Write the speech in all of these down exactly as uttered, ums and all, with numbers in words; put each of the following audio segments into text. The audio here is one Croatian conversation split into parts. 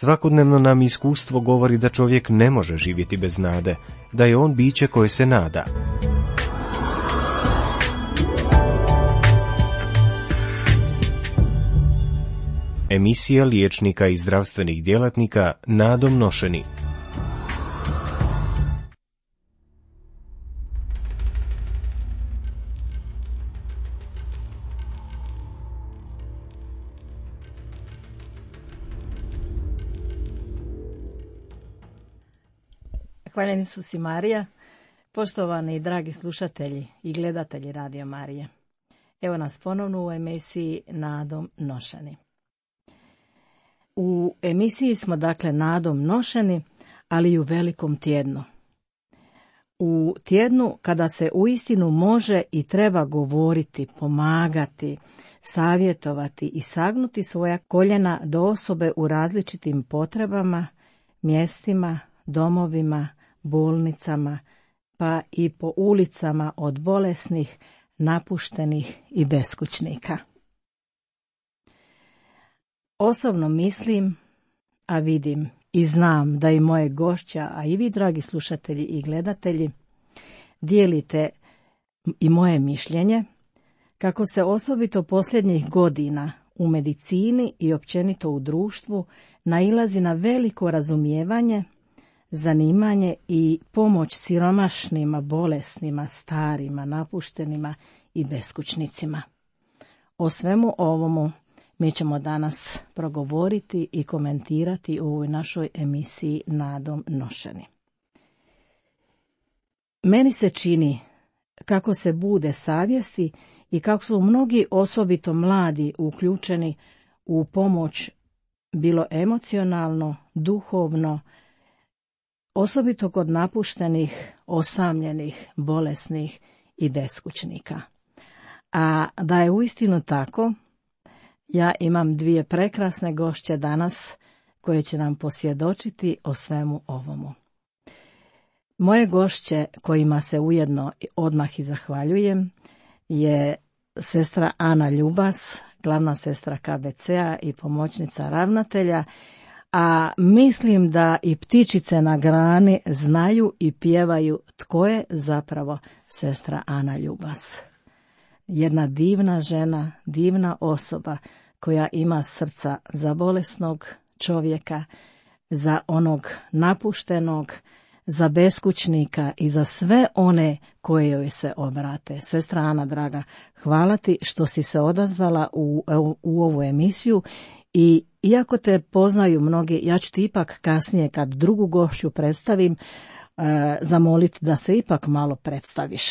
Svakodnevno nam iskustvo govori da čovjek ne može živjeti bez nade, da je on biće koje se nada. Emisija liječnika i zdravstvenih djelatnika nadom nošeni. Hvaljen Isus i Marija, poštovani i dragi slušatelji i gledatelji Radio Marije. Evo nas ponovno u emisiji Nadom nošeni. U emisiji smo dakle nadom nošeni, ali i u velikom tjednu. U tjednu kada se uistinu može i treba govoriti, pomagati, savjetovati i sagnuti svoja koljena do osobe u različitim potrebama, mjestima, domovima, bolnicama, pa i po ulicama od bolesnih, napuštenih i beskućnika. Osobno mislim, a vidim i znam da i moje gošća, a i vi, dragi slušatelji i gledatelji, dijelite i moje mišljenje, kako se osobito posljednjih godina u medicini i općenito u društvu nailazi na veliko razumijevanje, zanimanje i pomoć siromašnima, bolesnima, starima, napuštenima i beskućnicima. O svemu ovomu mi ćemo danas progovoriti i komentirati u ovoj našoj emisiji Nadom nošeni. Meni se čini kako se bude savjesti i kako su mnogi osobito mladi uključeni u pomoć bilo emocionalno, duhovno, osobito kod napuštenih, osamljenih, bolesnih i beskućnika. A da je uistinu tako, ja imam dvije prekrasne gošće danas koje će nam posvjedočiti o svemu ovomu. Moje gošće, kojima se ujedno odmah i zahvaljujem, je sestra Ana Ljubas, glavna sestra K B C-a i pomoćnica ravnatelja, a mislim da i ptičice na grani znaju i pjevaju tko je zapravo sestra Ana Ljubas. Jedna divna žena, divna osoba koja ima srca za bolesnog čovjeka, za onog napuštenog, za beskućnika i za sve one koje joj se obrate. Sestra Ana, draga, hvala ti što si se odazvala u, u, u ovu emisiju i iako te poznaju mnogi, ja ću ti ipak kasnije kad drugu gošću predstavim, e, zamoliti da se ipak malo predstaviš.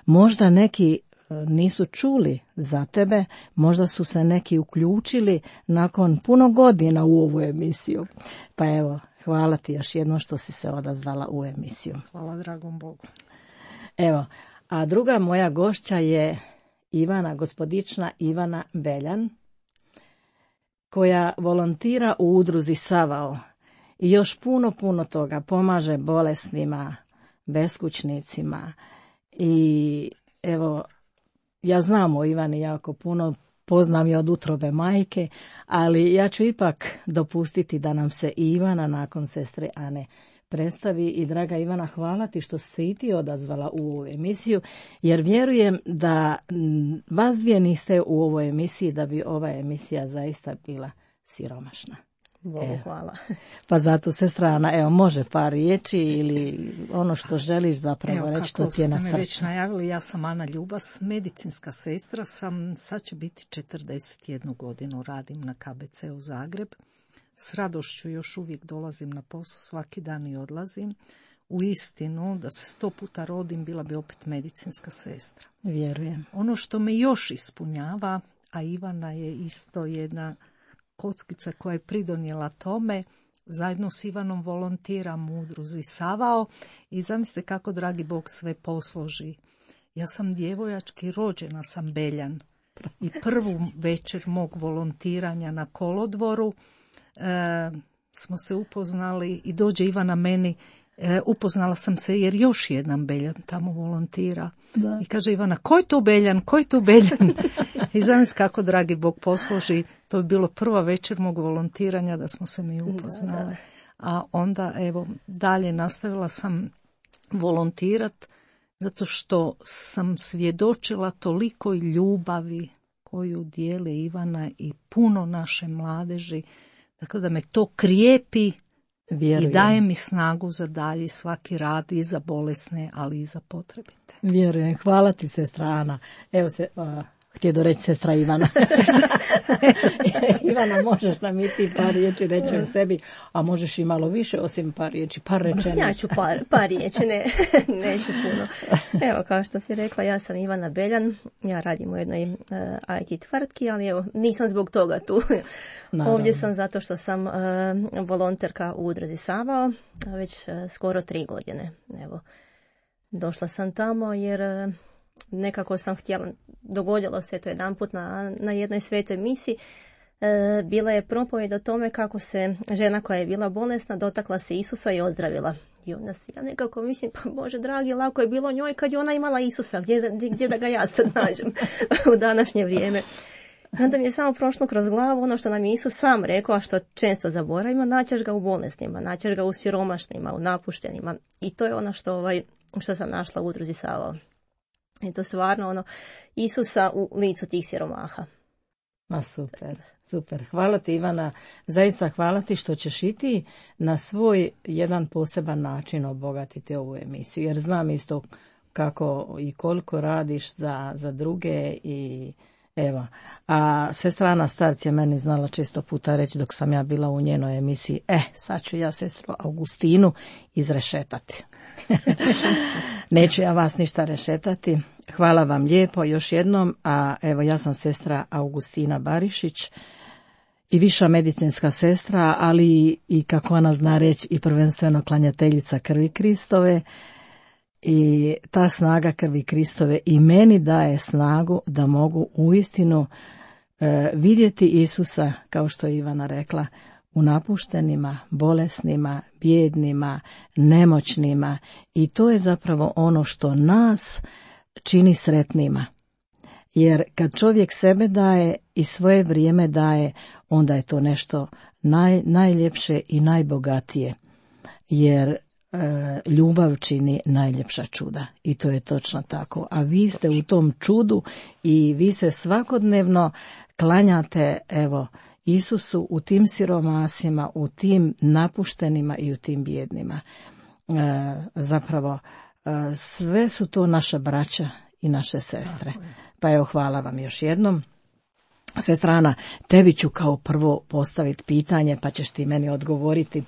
Možda neki nisu čuli za tebe, možda su se neki uključili nakon puno godina u ovu emisiju. Pa evo, hvala ti još jednom što si se odazvala u emisiju. Hvala dragom Bogu. Evo, a druga moja gošća je Ivana, gospodična Ivana Beljan, koja volontira u udruzi Savao i još puno, puno toga pomaže bolesnima, beskućnicima i evo, ja znam o Ivani jako puno, poznam je od utrobe majke, ali ja ću ipak dopustiti da nam se Ivana nakon sestre Ane predstavi. I draga Ivana, hvala ti što si se i ti odazvala u ovu emisiju, jer vjerujem da vas dvije niste u ovoj emisiji, da bi ova emisija zaista bila siromašna. Bogu hvala. Pa zato, sestra Ana, evo, može par riječi ili ono što želiš zapravo reći, što ti je na srcu. Evo, kako ste me već najavili, ja sam Ana Ljubas, medicinska sestra sam, sad će biti četrdeset jednu godinu, radim na K B C u Zagreb. S radošću još uvijek dolazim na posao, svaki dan i odlazim. U istinu, da se sto puta rodim, bila bi opet medicinska sestra. Vjerujem. Ono što me još ispunjava, a Ivana je isto jedna kockica koja je pridonijela tome, zajedno s Ivanom volontiram u udruzi Savao i zamislite kako dragi Bog sve posloži. Ja sam djevojački rođena, sam Beljan i prvu večer mog volontiranja na kolodvoru e, smo se upoznali i dođe Ivana meni, E, upoznala sam se jer još jedan Beljan tamo volontira. Da. I kaže Ivana, ko je tu Beljan, ko je tu Beljan? I zamisli kako dragi Bog posloži, to je bilo prva večer mog volontiranja da smo se mi upoznali. Da, da. A onda evo dalje nastavila sam volontirat zato što sam svjedočila toliko ljubavi koju dijele Ivana i puno naše mladeži. Dakle, da me to krijepi. Vjerujem. I daje mi snagu za dalje svaki rad i za bolesne, ali i za potrebite. Vjerujem. Hvala ti, sestra Ana. Evo se, uh, htio do reći sestra Ivana. Ivana, možeš nam i ti par riječi reći o sebi, a možeš i malo više, osim par riječi, par rečenica. Ja ću par, par riječi, ne, neću puno. Evo, kao što si rekla, ja sam Ivana Beljan, ja radim u jednoj uh, I T tvrtki, ali evo, nisam zbog toga tu. Naravno. Ovdje sam zato što sam uh, volonterka u udruzi Savao, već uh, skoro tri godine. Evo, došla sam tamo jer uh, nekako sam htjela, dogodilo se to jedan put na, na jednoj svetoj misi, e, bila je propovjed o tome kako se žena koja je bila bolesna dotakla se Isusa i ozdravila. I onda si ja nekako mislim, pa Bože dragi, lako je bilo njoj kad je ona imala Isusa, gdje, gdje, gdje da ga ja sad nađem u današnje vrijeme. I onda mi je samo prošlo kroz glavu ono što nam je Isus sam rekao, a što često zaboravimo, naćeš ga u bolesnima, naćeš ga u siromašnima, u napuštenima. I to je ono što, ovaj, što sam našla u udruzi Savao. I to stvarno ono, Isusa u licu tih siromaha. Ma super, super. Hvala ti Ivana, zaista hvala ti što ćeš i ti na svoj jedan poseban način obogatiti ovu emisiju. Jer znam isto kako i koliko radiš za, za druge i evo. A sestra Ana Starc je meni znala često puta reći dok sam ja bila u njenoj emisiji, eh, sad ću ja sestru Augustinu izrešetati. Neću ja vas ništa rešetati. Hvala vam lijepo još jednom, a evo ja sam sestra Augustina Barišić i viša medicinska sestra, ali i kako ona zna reći i prvenstveno klanjateljica krvi Kristove. I ta snaga krvi Kristove i meni daje snagu da mogu uistinu e, vidjeti Isusa, kao što je Ivana rekla, u napuštenima, bolesnima, bijednima, nemoćnima. I to je zapravo ono što nas čini sretnima. Jer kad čovjek sebe daje i svoje vrijeme daje, onda je to nešto naj, najljepše i najbogatije. Jer ljubav čini najljepša čuda i to je točno tako. A vi ste u tom čudu i vi se svakodnevno klanjate evo Isusu u tim siromasima, u tim napuštenima i u tim bijednima. E, zapravo e, sve su to naša braća i naše sestre. Pa evo hvala vam još jednom. Sestra Ana, tebi ću kao prvo postaviti pitanje pa ćeš ti meni odgovoriti.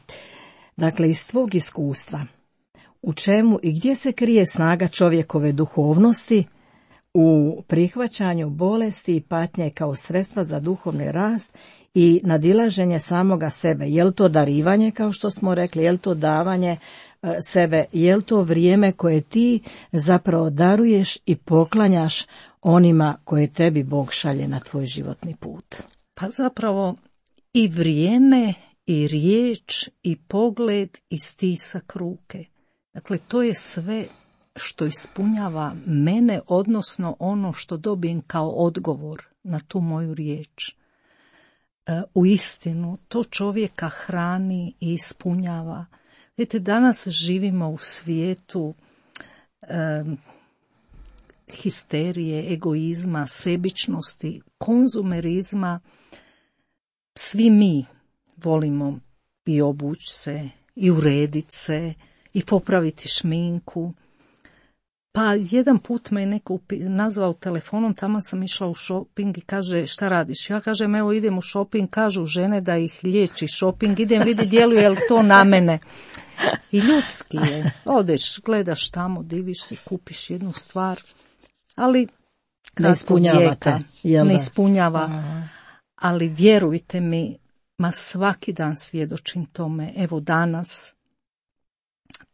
Dakle, iz tvog iskustva, u čemu i gdje se krije snaga čovjekove duhovnosti u prihvaćanju bolesti i patnje kao sredstva za duhovni rast i nadilaženje samoga sebe? Je li to darivanje, kao što smo rekli, je li to davanje e, sebe, je li to vrijeme koje ti zapravo daruješ i poklanjaš onima koje tebi Bog šalje na tvoj životni put? Pa zapravo i vrijeme i riječ, i pogled, i stisak ruke. Dakle, to je sve što ispunjava mene, odnosno ono što dobijem kao odgovor na tu moju riječ. E, u istinu, to čovjeka hrani i ispunjava. Vidite, danas živimo u svijetu e, histerije, egoizma, sebičnosti, konzumerizma. Svi mi volimo i obući se, i urediti se, i popraviti šminku. Pa jedan put me je neko nazvao telefonom, tamo sam išla u šoping i kaže, šta radiš? Ja kažem, evo idem u šoping, kažu žene da ih liječi šoping, idem vidi djeluje li to na mene. I ljudski je, odeš, gledaš tamo, diviš se, kupiš jednu stvar, ali ne ispunjavate. Ne ispunjava, aha. Ali vjerujte mi, ma svaki dan svjedočim tome, evo danas,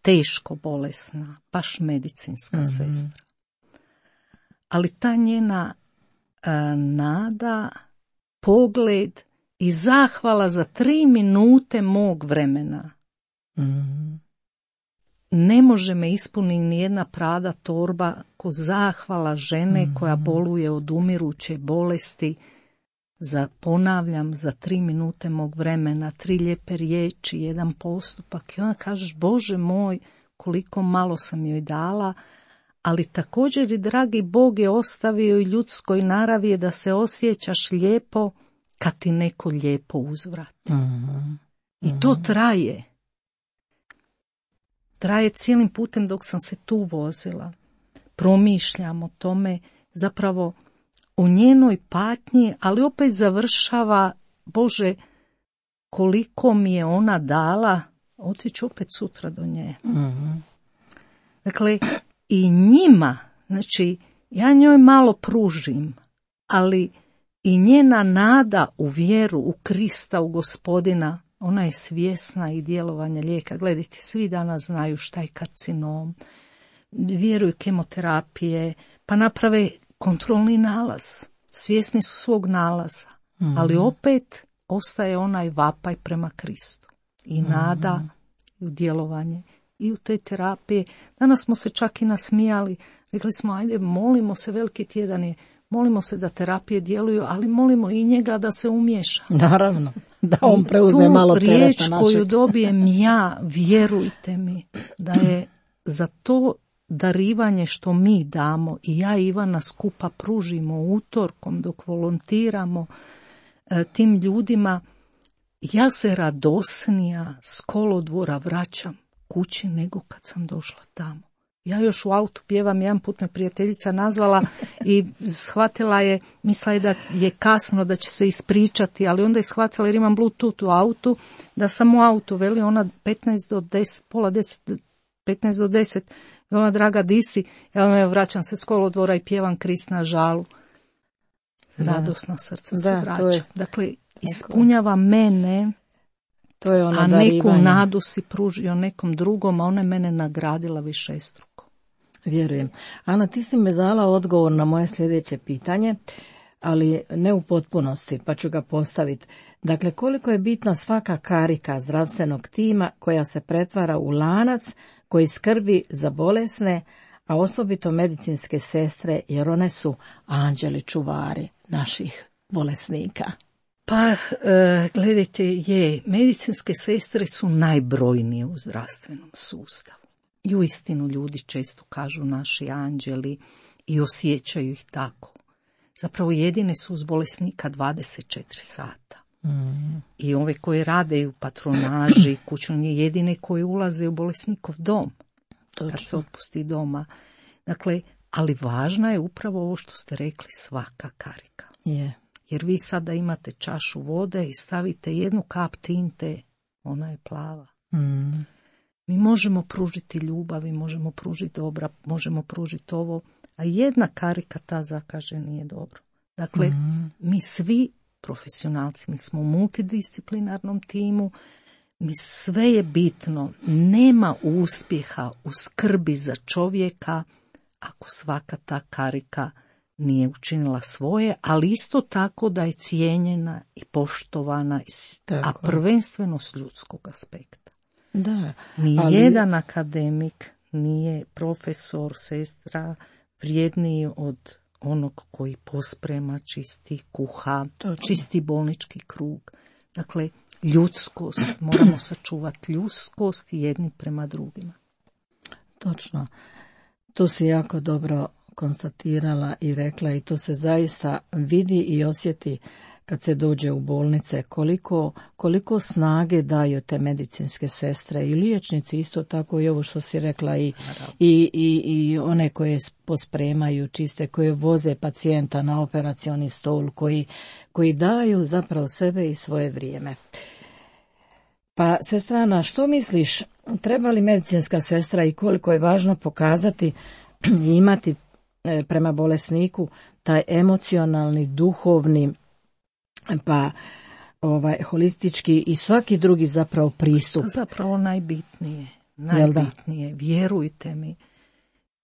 teško bolesna, baš medicinska mm-hmm. sestra. Ali ta njena a, nada, pogled i zahvala za tri minute mog vremena. Mm-hmm. ne može me ispuniti ni jedna prada torba ko zahvala žene mm. koja boluje od umiruće bolesti, za, ponavljam, za tri minute mog vremena, tri lijepe riječi, jedan postupak. I onda kažeš, Bože moj, koliko malo sam joj dala, ali također i dragi Bog je ostavio i ljudskoj naravi je da se osjećaš lijepo kad ti neko lijepo uzvrati. Mm-hmm. I to traje. Traje cijelim putem dok sam se tu vozila. Promišljam o tome, zapravo o njenoj patnji, ali opet završava, Bože, koliko mi je ona dala, otiću opet sutra do nje. Mm-hmm. Dakle, i njima, znači, ja njoj malo pružim, ali i njena nada u vjeru, u Krista, u Gospodina, ona je svjesna i djelovanja lijeka. Gledajte, svi danas znaju šta je karcinom, vjeruju kemoterapije, pa naprave kontrolni nalaz. Svjesni su svog nalaza, mm-hmm. ali opet ostaje onaj vapaj prema Kristu. I nada mm-hmm. u djelovanje i u te terapije. Danas smo se čak i nasmijali. Rekli smo, ajde, molimo se, veliki tjedan je, molimo se da terapije djeluju, ali molimo i njega da se umiješa. Naravno, da on preuzme malo tereta našeg. Tu riječ koju dobijem ja, vjerujte mi, da je za to darivanje što mi damo i ja i Ivana skupa pružimo utorkom dok volontiramo e, tim ljudima, ja se radosnija s kolodvora vraćam kući nego kad sam došla tamo. Ja još u autu pjevam, jedan put me prijateljica nazvala i shvatila je, mislila je da je kasno, da će se ispričati, ali onda je shvatila jer imam Bluetooth u autu, da sam u autu, veli ona petnaest do deset, pola deset, petnaest do deset, ona draga disi, ja me vraćam se s kolodvora i pjevam Krist na žalu. Radosna srca da, se vraća. Je... Dakle, ispunjava mene, to je ono a darivanje. Neku nadu si pružio nekom drugom, a ona je mene nagradila višestruko. Vjerujem. Ana, ti si mi dala odgovor na moje sljedeće pitanje, ali ne u potpunosti, pa ću ga postaviti. Dakle, koliko je bitna svaka karika zdravstvenog tima koja se pretvara u lanac koji skrbi za bolesne, a osobito medicinske sestre, jer one su anđeli čuvari naših bolesnika. Pa, e, gledajte, je, medicinske sestre su najbrojnije u zdravstvenom sustavu. I uistinu ljudi često kažu naši anđeli i osjećaju ih tako. Zapravo jedine su uz bolesnika dvadeset četiri sata. Mm. I ove koje rade u patronaži, kućnje, jedine koje ulaze u bolesnikov dom. Točno. Kad se otpusti doma. Dakle, ali važna je upravo ovo što ste rekli, svaka karika. Je. Jer vi sada imate čašu vode i stavite jednu kap tinte, ona je plava. Mm. Mi možemo pružiti ljubav, mi možemo pružiti dobra, možemo pružiti ovo, a jedna karika ta zakaže nije dobro. Dakle, mm. mi svi profesionalci, mi smo u multidisciplinarnom timu, mi sve je bitno, nema uspjeha u skrbi za čovjeka ako svaka ta karika nije učinila svoje, ali isto tako da je cijenjena i poštovana, tako. A prvenstveno s ljudskog aspekta. Da, Nijedan ali... akademik nije profesor, sestra vrijedniji od onog koji posprema, čisti, kuha, Točno. Čisti bolnički krug. Dakle, ljudskost, moramo sačuvati ljudskost jedni prema drugima. Točno. To si jako dobro konstatirala i rekla i to se zaista vidi i osjeti kad se dođe u bolnice, koliko, koliko snage daju te medicinske sestre i liječnici, isto tako i ovo što si rekla i, i, i, i one koje pospremaju, čiste, koje voze pacijenta na operacioni stol, koji, koji daju zapravo sebe i svoje vrijeme. Pa sestrana, što misliš, treba li medicinska sestra i koliko je važno pokazati i imati prema bolesniku taj emocionalni, duhovni, pa ovaj holistički i svaki drugi zapravo pristup. Zapravo najbitnije, najbitnije, vjerujte mi.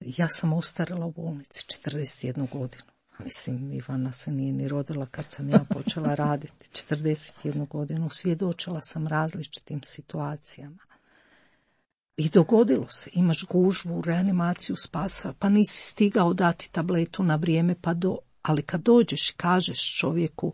Ja sam ostarila u bolnici četrdeset jednu godinu. Mislim, Ivana se nije ni rodila kad sam ja počela raditi. četrdeset jednu godinu svjedočila sam različitim situacijama. I dogodilo se, imaš gužvu, reanimaciju spasa, pa nisi stigao dati tabletu na vrijeme, pa do, ali kad dođeš i kažeš čovjeku,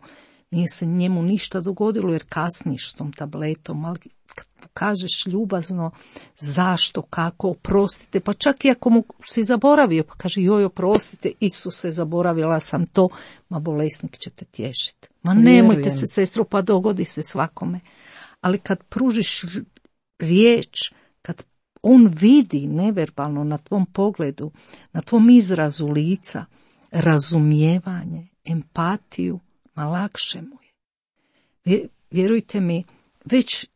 nije se njemu ništa dogodilo jer kasniš s tom tabletom, ali kad mu kažeš ljubazno zašto, kako, oprostite, pa čak i ako mu si zaboravio, pa kaže joj oprostite, Isuse, zaboravila sam to, ma bolesnik će te tješiti. Ma nemojte Vjerujem. se, sestro, pa dogodi se svakome. Ali kad pružiš riječ, kad on vidi neverbalno na tvom pogledu, na tvom izrazu lica, razumijevanje, empatiju, ma lakše mu je. Vjerujte mi, već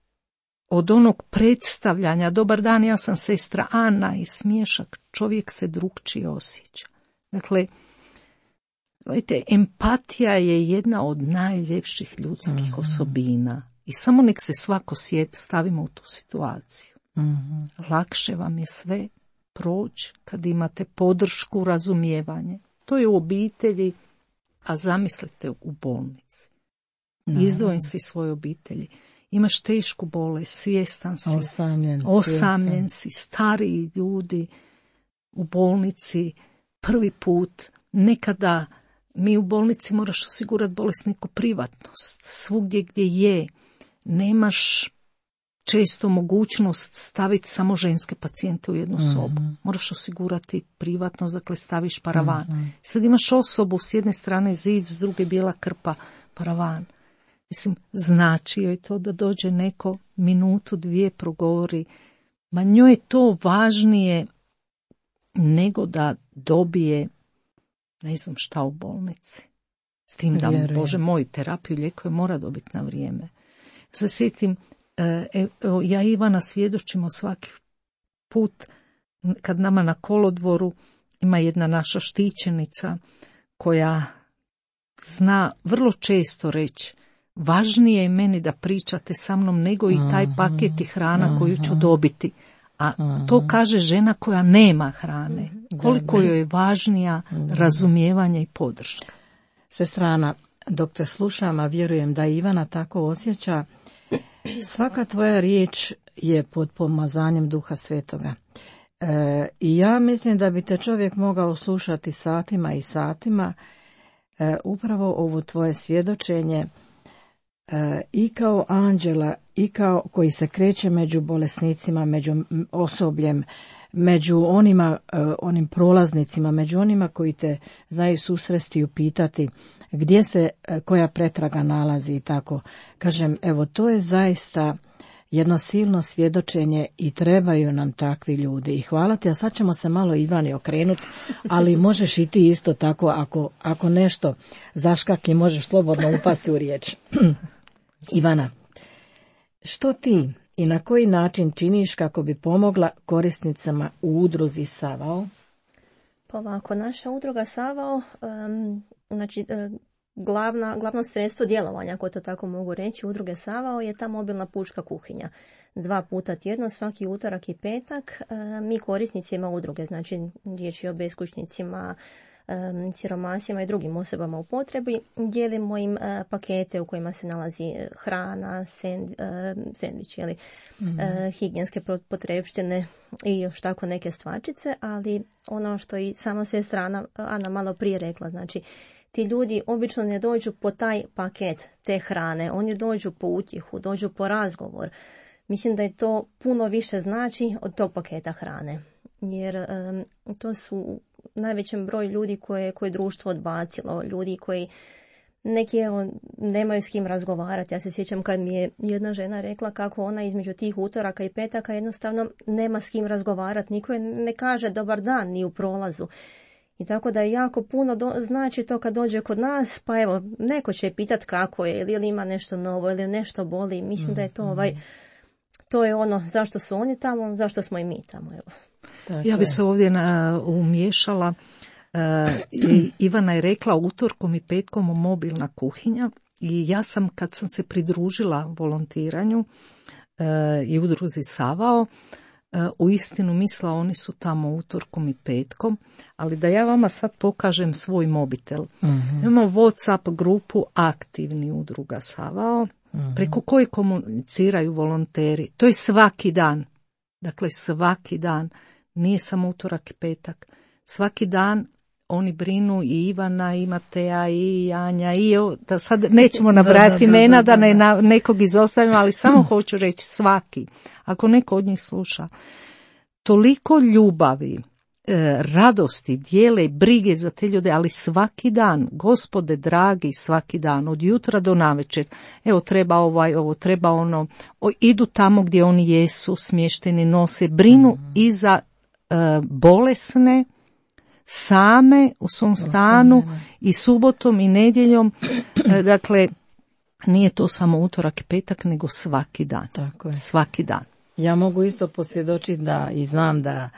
od onog predstavljanja, dobar dan, ja sam sestra Ana i smiješak, čovjek se drukčije osjeća. Dakle, gledajte, empatija je jedna od najljepših ljudskih mm-hmm. osobina i samo nek se svako sjeti, stavimo u tu situaciju. Mm-hmm. Lakše vam je sve proći kad imate podršku, razumijevanje. To je u obitelji, a zamislite u bolnici. No. Izdvojim si svoje obitelji. Imaš tešku bolest, svjestan si, osamljen, osamljen si, stariji ljudi u bolnici, prvi put, nekada mi u bolnici moraš osigurati bolesniku privatnost. Svugdje gdje je, nemaš često mogućnost staviti samo ženske pacijente u jednu sobu. Mm-hmm. Moraš osigurati privatnost, dakle staviš paravan. Mm-hmm. Sad imaš osobu s jedne strane zid, s druge bijela krpa, paravan. Mislim, znači joj to da dođe neko minutu, dvije progovori. Ma njoj je to važnije nego da dobije ne znam šta u bolnici. S tim da, Vjerujem. Bože moj, terapiju, lijekove mora dobiti na vrijeme. Se sjetim, e, ja i Ivana svjedočimo svaki put kad nama na kolodvoru ima jedna naša štićenica koja zna vrlo često reći važnije je meni da pričate sa mnom nego i taj paket i hrana koju ću dobiti. A to kaže žena koja nema hrane. Koliko joj je važnija razumijevanje i podrška. Sestrana, dok te slušam, a vjerujem da Ivana tako osjeća, svaka tvoja riječ je pod pomazanjem Duha Svetoga. E, I ja mislim da bi te čovjek mogao slušati satima i satima e, upravo ovo tvoje svjedočenje e, i kao anđela i kao koji se kreće među bolesnicima, među osobljem, među onima, onim prolaznicima, među onima koji te znaju susresti i upitati gdje se koja pretraga nalazi i tako. Kažem, evo, to je zaista jedno silno svjedočenje i trebaju nam takvi ljudi. I hvala ti, a sad ćemo se malo Ivani okrenuti, ali možeš i ti isto tako, ako, ako nešto zaškakli, možeš slobodno upasti u riječ. Ivana, što ti i na koji način činiš kako bi pomogla korisnicama u udruzi Savao? Pa ovako, naša udruga Savao, um, znači um, glavna, glavno sredstvo djelovanja, ako to tako mogu reći, udruge Savao je ta mobilna pučka kuhinja. Dva puta tjedno, svaki utorak i petak, um, mi korisnicima udruge, znači riječ je o beskućnicima, um, siromasima i drugim osobama u potrebi, dijelimo im uh, pakete u kojima se nalazi hrana, send, uh, sendvič, jeli, mm-hmm. uh, higijenske potrepštine i još tako neke stvarčice, ali ono što i sama sestra Ana, Ana malo prije rekla, znači ti ljudi obično ne dođu po taj paket te hrane, oni dođu po utjehu, dođu po razgovor. Mislim da je to puno više znači od tog paketa hrane, jer um, to su najvećem broj ljudi koje, koje društvo odbacilo, ljudi koji neki evo, nemaju s kim razgovarati. Ja se sjećam kad mi je jedna žena rekla kako ona između tih utoraka i petaka jednostavno nema s kim razgovarati, niko je ne kaže dobar dan ni u prolazu. I tako da je jako puno do, znači to kad dođe kod nas, pa evo, neko će pitat kako je, ili, ili ima nešto novo, ili nešto boli. Mislim mm, da je to ovaj, to je ono zašto su oni tamo, zašto smo i mi tamo, evo. Tako ja bi se ovdje na, umiješala. Uh, i Ivana je rekla utorkom i petkom mobilna kuhinja i ja sam kad sam se pridružila volontiranju uh, i udruzi Savao, uh, u istinu mislila oni su tamo utorkom i petkom, ali da ja vama sad pokažem svoj mobitel. Uh-huh. Imamo WhatsApp grupu aktivni udruga Savao, uh-huh. preko koje komuniciraju volonteri. To je svaki dan. Dakle, svaki dan, nije samo utorak i petak, svaki dan oni brinu i Ivana, i Mateja, i Janja, i o, da sad nećemo nabrajati imena, da, da, da, da, da. da ne nekog izostavimo, ali samo hoću reći svaki, ako neko od njih sluša, toliko ljubavi, e, radosti, dijele i brige za te ljude, ali svaki dan, Gospode dragi, svaki dan, od jutra do navečer, evo treba ovaj, ovo, treba ono, o, idu tamo gdje oni jesu, smješteni, nose, brinu mm. i za e, bolesne, same u svom stanu i subotom i nedjeljom, dakle nije to samo utorak i petak, nego svaki dan. Tako je. Svaki dan. Ja mogu isto posvjedočiti da i znam da,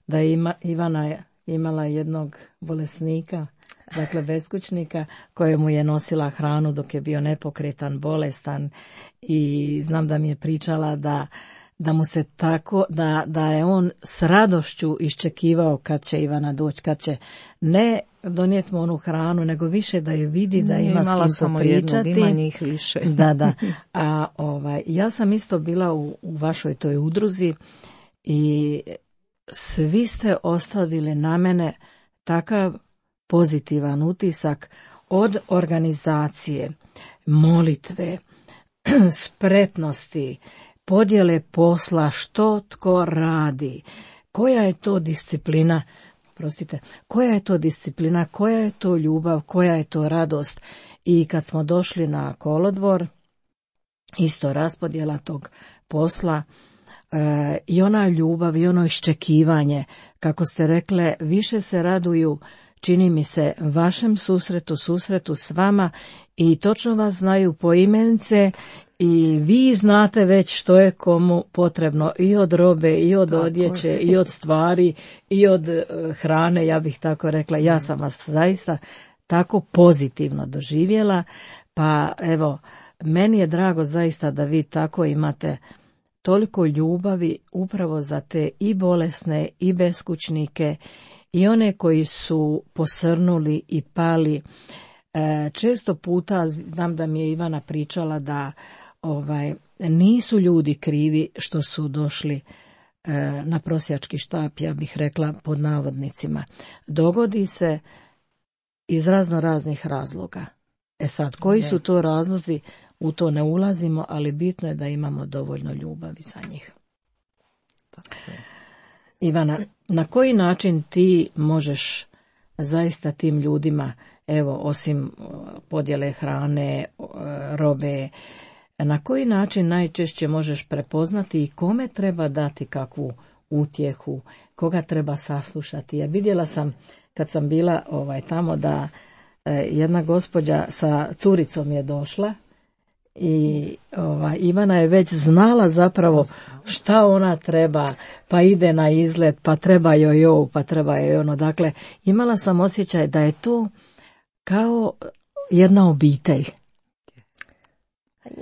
da ima, Ivana je imala jednog bolesnika, dakle beskućnika, kojemu je nosila hranu dok je bio nepokretan, bolestan, i znam da mi je pričala da da mu se tako, da, da je on s radošću iščekivao kad će Ivana doći, kad će ne donijeti mu onu hranu, nego više da ju vidi, da ima imala s kim popričati. Ima njih više. Da, da. A ovaj, ja sam isto bila u, u vašoj toj udruzi i svi ste ostavili na mene takav pozitivan utisak od organizacije, molitve, spretnosti, podjele posla, što tko radi, koja je to disciplina, prostite, koja je to disciplina, koja je to ljubav, koja je to radost. I kad smo došli na kolodvor, isto raspodjela tog posla, e, i ona ljubav i ono iščekivanje, kako ste rekle, više se raduju, čini mi se, vašem susretu, susretu s vama, i točno vas znaju poimence i vi znate već što je komu potrebno i od robe, i od tako odjeće, je. I od stvari, i od uh, hrane, ja bih tako rekla. Ja sam vas zaista tako pozitivno doživjela, pa evo, meni je drago zaista da vi tako imate toliko ljubavi upravo za te i bolesne i beskućnike i one koji su posrnuli i pali. E, često puta znam da mi je Ivana pričala da ovaj, nisu ljudi krivi što su došli e, na prosjački štap, ja bih rekla pod navodnicima. Dogodi se iz razno raznih razloga. E sad, koji su to razlozi, u to ne ulazimo, ali bitno je da imamo dovoljno ljubavi za njih. Ivana, na koji način ti možeš zaista tim ljudima, evo, osim podjele hrane, robe, na koji način najčešće možeš prepoznati i kome treba dati kakvu utjehu, koga treba saslušati? Ja vidjela sam kad sam bila ovaj, tamo da eh, jedna gospođa sa curicom je došla i ovaj, Ivana je već znala zapravo šta ona treba, pa ide na izlet, pa treba joj ovo, pa treba joj ono. Dakle, imala sam osjećaj da je to kao jedna obitelj.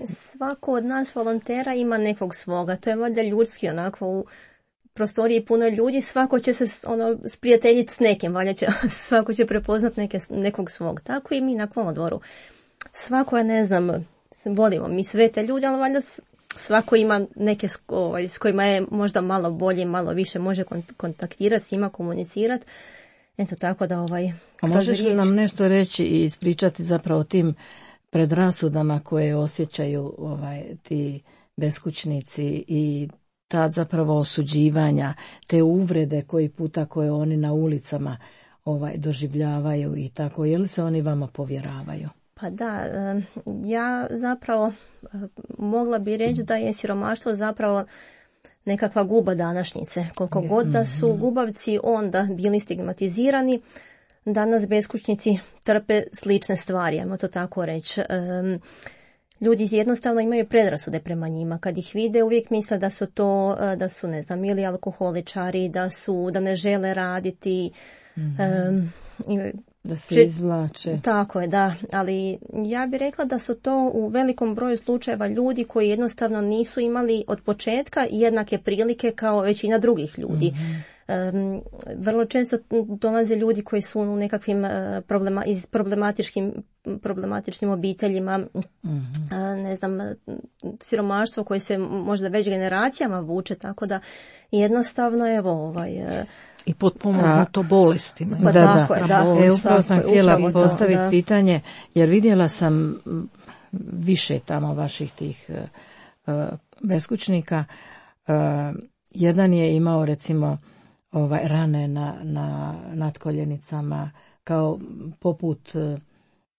Svako od nas volontera ima nekog svoga. To je valjda ljudski, onako u prostoriji puno ljudi, svako će se ono sprijateljiti s nekim, valjda će, svako će prepoznat neke, nekog svog. Tako i mi na kolodvoru. Svako je, ne znam, volimo mi sve te ljude, ali valjda svako ima neke ovaj, s kojima je možda malo bolje, malo više može kontaktirati, s njima komunicirati. Eto tako da ovaj... A možeš li nam nešto reći i ispričati zapravo o tim predrasudama koje osjećaju ovaj, ti beskućnici i ta zapravo osuđivanja, te uvrede koji puta koje oni na ulicama ovaj, doživljavaju i tako, je li se oni vama povjeravaju? Pa da, ja zapravo mogla bi reći da je siromaštvo zapravo nekakva guba današnjice. Koliko god da su gubavci onda bili stigmatizirani, danas beskućnici trpe slične stvari, ajmo to tako reći. Ljudi jednostavno imaju predrasude prema njima. Kad ih vide, uvijek misle da su to, da su, ne znam, ili alkoholičari, da su, da ne žele raditi. Mm-hmm. Um, da se izvlače. Tako je, da. Ali ja bih rekla da su to u velikom broju slučajeva ljudi koji jednostavno nisu imali od početka jednake prilike kao većina drugih ljudi. Um, vrlo često dolaze ljudi koji su u nekakvim uh, problema, iz problematičkim, problematičnim obiteljima, mm-hmm. uh, ne znam, siromaštvo koje se možda već generacijama vuče, tako da jednostavno evo ovaj... Uh, I potpomognuto bolestima. Da, da, da. da. E, upravo sam htjela postaviti to, pitanje, jer vidjela sam više tamo vaših tih uh, beskućnika. Uh, jedan je imao recimo ovaj, rane na, na nadkoljenicama, kao poput uh,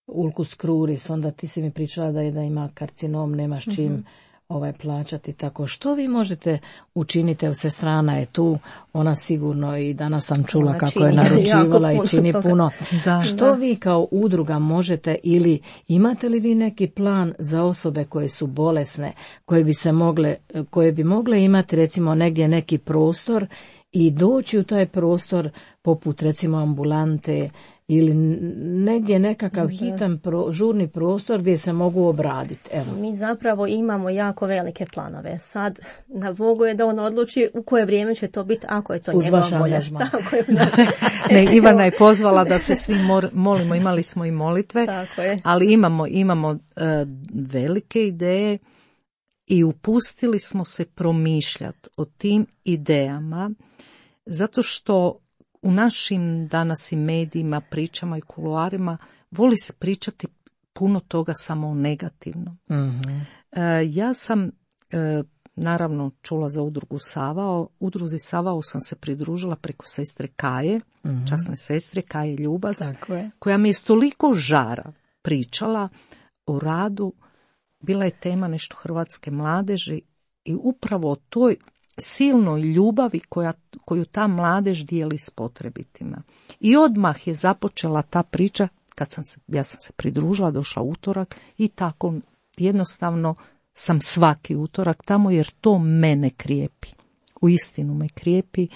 ulcus cruris, onda ti si mi pričala da je da ima karcinom, nemaš čim mm-hmm. ovaj plaćati. Tako što vi možete učiniti, evo sestrana je tu, ona sigurno i danas sam čula ona kako je naručivala i čini toga. Puno. Da, što da. Vi kao udruga možete ili imate li vi neki plan za osobe koje su bolesne, koje bi se mogle, koje bi mogle imati recimo negdje neki prostor i doći u taj prostor poput recimo ambulante ili negdje nekakav hitan pro, žurni prostor gdje se mogu obraditi. Evo. Mi zapravo imamo jako velike planove. Sad na Bogu je da on odluči u koje vrijeme će to biti, ako je to uz njegova volja. Tako je, da. Ne, Ivana je pozvala da se svi mor, molimo, imali smo i molitve, tako je. Ali imamo, imamo uh, velike ideje i upustili smo se promišljati o tim idejama, zato što u našim danas i medijima, pričama i kuloarima voli se pričati puno toga samo o negativnom. Mm-hmm. E, ja sam e, naravno čula za udrugu Savao. Udruzi Savao sam se pridružila preko sestre Kaje, mm-hmm. časne sestre Kaje Ljubaz, koja mi je s toliko žara pričala o radu. Bila je tema nešto hrvatske mladeži i upravo o toj silnoj ljubavi koja, koju ta mladež dijeli s potrebitima. I odmah je započela ta priča, kad sam se, ja sam se pridružila, došla utorak i tako jednostavno sam svaki utorak tamo jer to mene krijepi. U istinu me krijepi,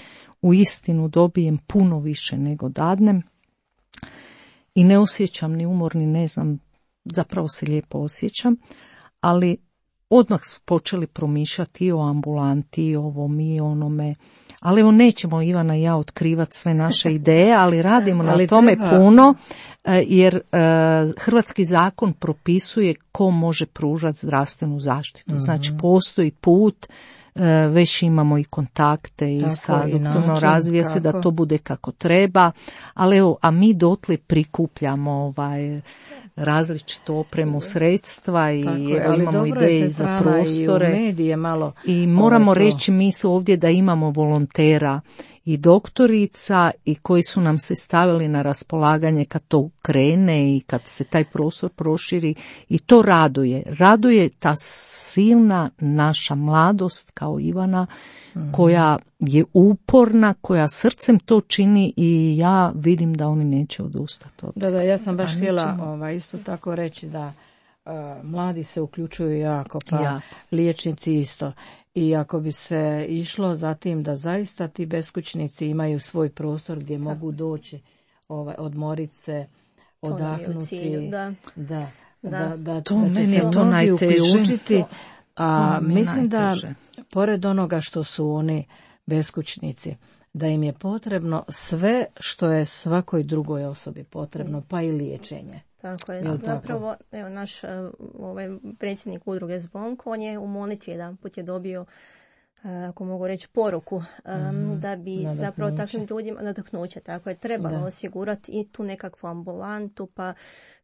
u istinu dobijem puno više nego dadnem i ne osjećam ni umor, ni ne znam, zapravo se lijepo osjećam, ali odmah su počeli promišljati i o ambulanti, i o ovom, i onome. Ali evo nećemo Ivana i ja otkrivati sve naše ideje, ali radimo ali na tome treba. puno, jer uh, hrvatski zakon propisuje ko može pružati zdravstvenu zaštitu. Mm-hmm. Znači postoji put, uh, već imamo i kontakte i tako, sa doktorno razvije se da to bude kako treba, ali evo, a mi dotle prikupljamo ovaj različitu opremu, sredstva i evo, imamo ideje za prostore. I, medije malo I moramo reći mi su ovdje da imamo volontera i doktorica i koji su nam se stavili na raspolaganje kad to krene i kad se taj prostor proširi i to raduje. Raduje ta silna naša mladost kao Ivana mm. koja je uporna, koja srcem to čini i ja vidim da oni neće odustati od. Da, da, ja sam baš htjela ovaj, isto tako reći da uh, mladi se uključuju jako, pa ja. liječnici isto. I ako bi se išlo za tim da zaista ti beskućnici imaju svoj prostor gdje mogu doći, ovaj, odmorit se, odahnuti. Cilju, da. Da, da, da, da, to da će meni se to najteže. Uključiti, a mislim najteže. Da pored onoga što su oni beskućnici, da im je potrebno sve što je svakoj drugoj osobi potrebno, pa i liječenje. Tako je. Jel zapravo, tako? Evo, naš ovaj, predsjednik udruge Zvonko, on je u molitvi jedan put je dobio, ako mogu reći, poruku, um, da bi nadahnuće. Zapravo takvim ljudima nadahnuće, tako je, trebalo da. osigurati i tu nekakvu ambulantu, pa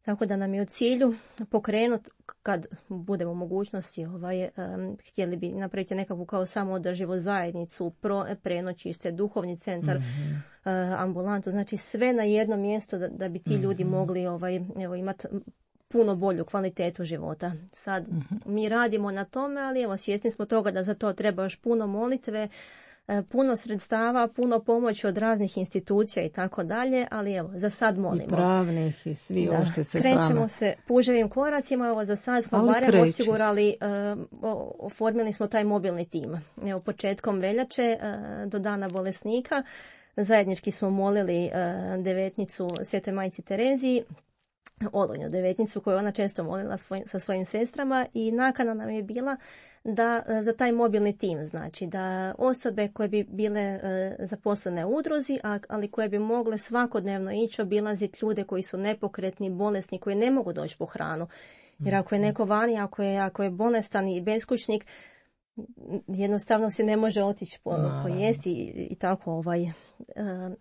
tako da nam je u cilju pokrenuti, kad budemo u mogućnosti, ovaj, um, htjeli bi napraviti nekakvu kao samoodrživu zajednicu, pro, prenoćište, duhovni centar, mm-hmm. uh, ambulantu, znači sve na jedno mjesto da, da bi ti mm-hmm. ljudi mogli ovaj, evo, imati puno bolju kvalitetu života. Sad mm-hmm. mi radimo na tome, ali evo svjesni smo toga da za to treba još puno molitve, puno sredstava, puno pomoći od raznih institucija i tako dalje, ali evo, za sad molimo. I pravnih i svi ovo što se Krećemo strana. se puževim koracima, evo za sad smo ali barem kreću. osigurali, uh, oformili smo taj mobilni tim. Evo, početkom veljače uh, do dana bolesnika zajednički smo molili uh, devetnicu Svetoj Majci Tereziji Olojnu devetnicu koju ona često molila svoj, sa svojim sestrama i nakana nam je bila da za taj mobilni tim, znači da osobe koje bi bile e, zaposlene u udruzi, a, ali koje bi mogle svakodnevno ići obilaziti ljude koji su nepokretni, bolesni, koji ne mogu doći po hranu. Jer ako je neko vani, ako je, ako je bolestan i beskućnik, jednostavno se ne može otići po, pojesti i, i tako ovaj. E,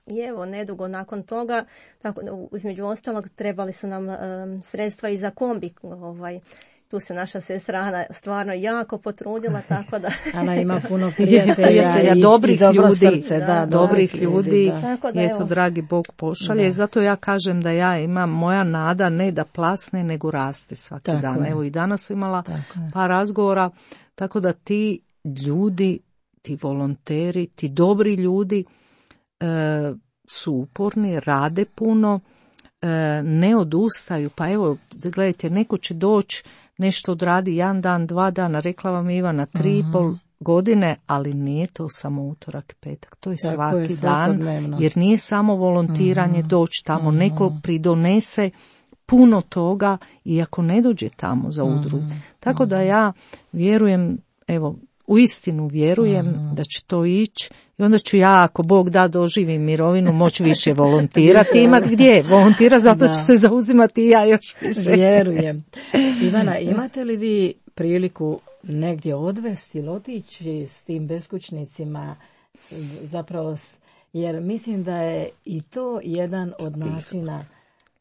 I evo, nedugo nakon toga, tako, između ostalog, trebali su nam e, sredstva i za kombi. Ovaj, tu se naša sestra Ana stvarno jako potrudila, tako da... Ana ima puno prijatelja i, dobrih i dobro ljudi, srce, da, da, dobrih ljudi, da. Tako da, eto, dragi Bog pošalje. Da. Zato ja kažem da ja imam, moja nada ne da plasne, nego raste svaki tako dan. Je. Evo i danas imala par razgovora, tako da ti ljudi, ti volonteri, ti dobri ljudi e, su uporni, rade puno, e, ne odustaju. Pa evo, gledajte, neko će doći, nešto odradi jedan dan, dva dana, rekla vam Ivana, tri i uh-huh. pol godine, ali nije to samo utorak i petak, to je tako svaki je, dan, jer nije samo volontiranje uh-huh. doći tamo, uh-huh. neko pridonese puno toga i ako ne dođe tamo za udrugu. Uh-huh. Tako da ja vjerujem, evo, u istinu vjerujem uh-huh. da će to ići i onda ću ja, ako Bog da, doživim mirovinu, moći više volontirati, imati gdje volontira, zato ću se zauzimati i ja još više. Vjerujem. Ivana, imate li vi priliku negdje odvesti ili otići s tim beskućnicima, zapravo, jer mislim da je i to jedan od načina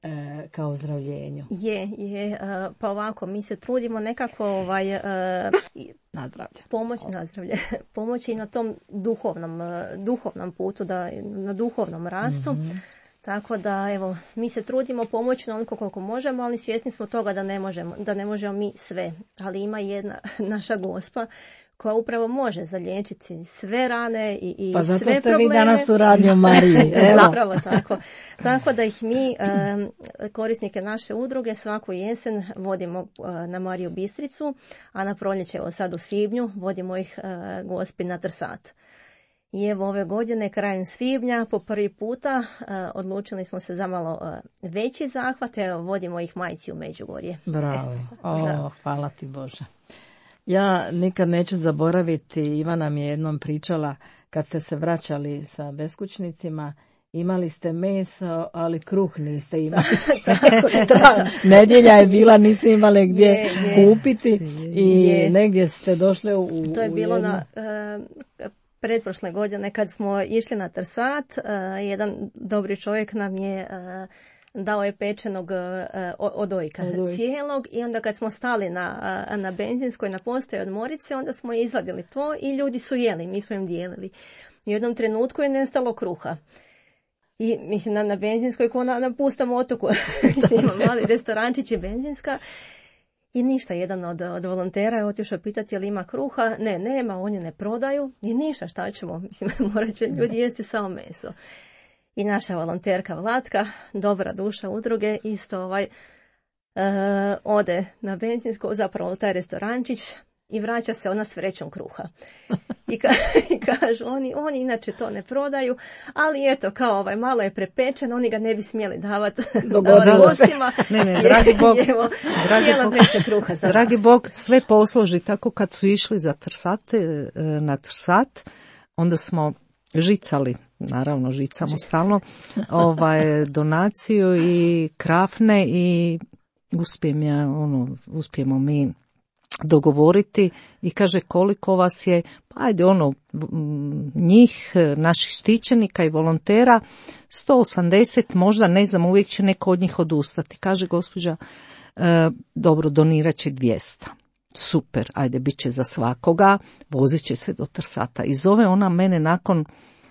e, kao ozdravljenju. Je, je, pa ovako, mi se trudimo nekako ovaj, nazdravlje. Pomoć, nazdravlje, pomoći na tom duhovnom, duhovnom putu, da, na duhovnom rastu. Mm-hmm. Tako da, evo, mi se trudimo pomoći na onoliko koliko možemo, ali svjesni smo toga da ne možemo, da ne možemo mi sve. Ali ima jedna naša Gospa koja upravo može zaliječiti sve rane i, i pa sve probleme. Pa zato ste vi danas u Radio Mariji. Evo. Zapravo tako. Tako da ih mi, um, korisnike naše udruge, svaku jesen vodimo uh, na Mariju Bistricu, a na proljeće, evo sad u svibnju, vodimo ih uh, Gospi na Trsat. I evo ove godine, krajem svibnja, po prvi puta uh, odlučili smo se za malo uh, veći zahvat, evo vodimo ih Majci u Međugorje. Bravo, o, hvala ti Bože. Ja nikad neću zaboraviti, Ivana mi je jednom pričala, kad ste se vraćali sa beskućnicima, imali ste meso, ali kruh niste imali. Ta nedjelja je bila, nisu imali gdje je, je. kupiti i je. negdje ste došli u... To je u bilo jednu... na... Uh, pretprošle godine kad smo išli na Trsat, uh, jedan dobri čovjek nam je uh, dao je pečenog uh, odojka Odoj. cijelog i onda kad smo stali na, uh, na benzinskoj na postoji od Morice, onda smo izvadili to i ljudi su jeli, mi smo im dijelili. U jednom trenutku je nestalo kruha. I mislim na, na benzinskoj ko na, na pustom otoku, mislim ima mali restorančić i benzinska. I ništa, jedan od, od volontera je otišao pitati je li ima kruha. Ne, nema, oni ne prodaju. I ništa, šta ćemo? Mislim, morat će ljudi jesti samo meso. I naša volonterka Vlatka, dobra duša udruge, isto ovaj, uh, ode na benzinsko, zapravo u taj restorančić i vraća se ona s vrećom kruha. I, ka, i kažu, oni, oni inače to ne prodaju, ali eto, kao ovaj, malo je prepečen, oni ga ne bi smjeli davati gostima. Ne, ne, dragi Bog, evo, dragi cijela Bog, vreća kruha za dragi nas. Bog sve posloži, tako kad su išli za Trsate, na Trsat, onda smo žicali, naravno žicamo Žic. stalno, ovaj, donaciju i krafne i uspijem ja, ono, uspijemo mi dogovoriti i kaže koliko vas je, pa ajde ono, njih, naših štićenika i volontera, sto osamdeset, možda ne znam, uvijek će neko od njih odustati. Kaže gospođa, e, dobro, donirat će dvjesto. Super, ajde, bit će za svakoga, vozit će se do Trsata. I zove ona mene nakon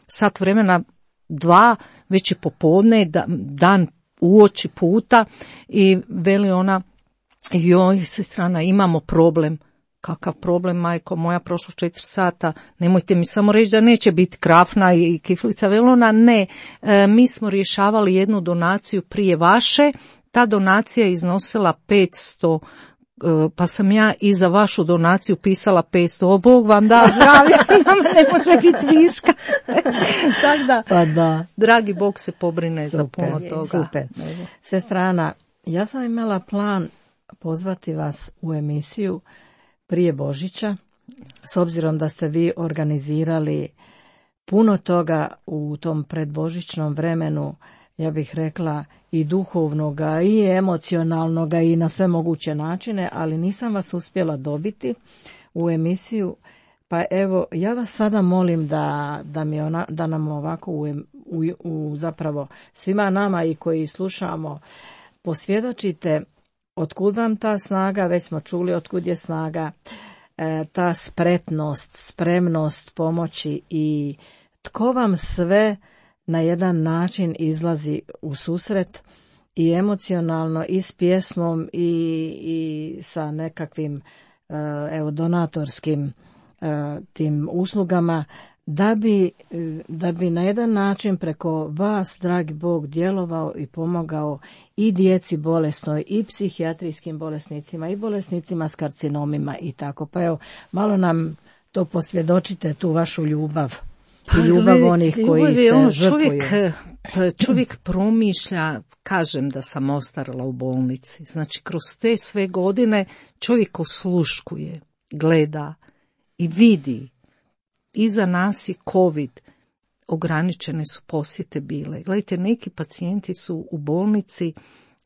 sat vremena, dva, već je popodne, dan uoči puta i veli ona, joj, sestrana, imamo problem. Kakav problem, majko moja, prošlo četiri sata, nemojte mi samo reći da neće biti krafna i kiflica velona, ne, e, mi smo rješavali jednu donaciju prije vaše, ta donacija je iznosila petsto, e, pa sam ja i za vašu donaciju pisala petsto, o Bog vam da zdravlje, nam ne može biti viška. Tako da, pa da, dragi Bog se pobrine super, za puno toga. Super. Sestrana, Ja sam imala plan pozvati vas u emisiju prije Božića, s obzirom da ste vi organizirali puno toga u tom predbožićnom vremenu, ja bih rekla i duhovnoga i emocionalnoga i na sve moguće načine, ali nisam vas uspjela dobiti u emisiju. Pa evo, ja vas sada molim da, da, mi ona, da nam ovako u, u, u zapravo svima nama i koji slušamo posvjedočite otkud vam ta snaga, već smo čuli otkud je snaga, e, ta spretnost, spremnost pomoći i tko vam sve na jedan način izlazi u susret i emocionalno i s pjesmom i, i sa nekakvim e, evo donatorskim tim uslugama, da bi, da bi na jedan način preko vas, dragi Bog, djelovao i pomogao i djeci bolesnoj, i psihijatrijskim bolesnicima, i bolesnicima s karcinomima i tako. Pa evo, malo nam to posvjedočite, tu vašu ljubav. Pa, I ljubav gledajte, onih koji ljubav se je ono, žrtvuju. Čovjek, čovjek promišlja, kažem da sam ostarala u bolnici. Znači, kroz te sve godine čovjek osluškuje, gleda i vidi. Iza nas je COVID, ograničene su posjete bile. Gledajte, neki pacijenti su u bolnici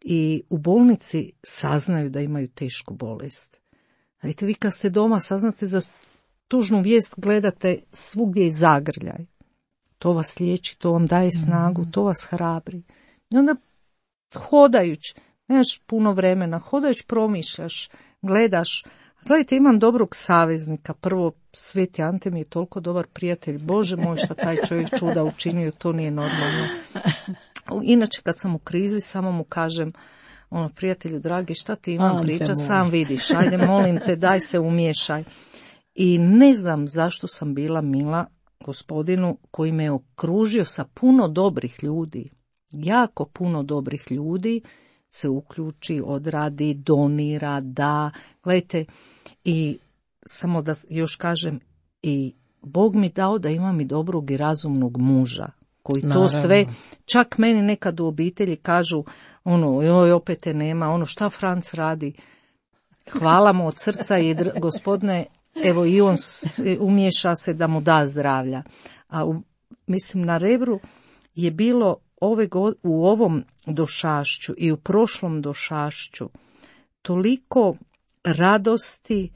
i u bolnici saznaju da imaju tešku bolest. Gledajte, vi kad ste doma saznate za tužnu vijest, gledate svugdje i zagrljaj. To vas liječi, to vam daje snagu, to vas hrabri. I onda hodajući, nemaš puno vremena, hodajući promišljaš, gledaš. Gledajte, imam dobrog saveznika. Prvo, Sveti Ante mi je toliko dobar prijatelj. Bože moj, šta taj čovjek čuda učinio, to nije normalno. Inače, kad sam u krizi, samo mu kažem, ono, prijatelju dragi, šta ti imam Ante priča, moj. sam vidiš, ajde, molim te, daj se umiješaj. I ne znam zašto sam bila mila gospodinu koji me okružio sa puno dobrih ljudi. Jako puno dobrih ljudi se uključi, odradi, donira, da. Gledajte, i samo da još kažem, i Bog mi dao da imam i dobrog i razumnog muža, koji to Naravno. sve, čak meni nekad u obitelji kažu, ono, joj, opet te nema, ono, šta Franc radi? Hvala mu od srca i dr- gospodine, evo i on se, umješa se da mu da zdravlja. A u, mislim, na Rebru je bilo ove go, u ovom došašću i u prošlom došašću toliko radosti